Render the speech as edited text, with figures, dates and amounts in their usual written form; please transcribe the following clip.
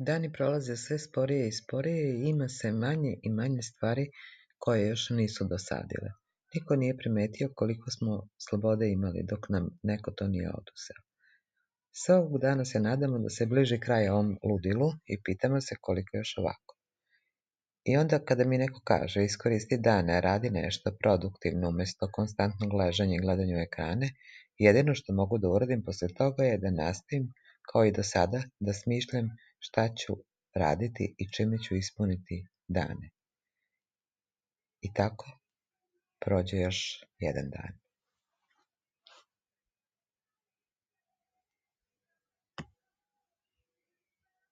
Dani prolaze sve sporije i sporije i ima sve manje i manje stvari koje još nisu dosadile. Niko nije primetio koliko smo slobode imali dok nam neko to nije oduzeo. Svakog dana se nadamo da se bliži kraj ovom ludilu i pitamo se koliko još ovako. I onda kada mi neko kaže iskoristi dane, radi nešto produktivno umjesto konstantnog ležanja i gledanja u ekrane, jedino što mogu da uradim posle toga je da nastavim, kao i do sada, da smišljam šta ću raditi i čime ću ispuniti dane. I tako prođe još jedan dan.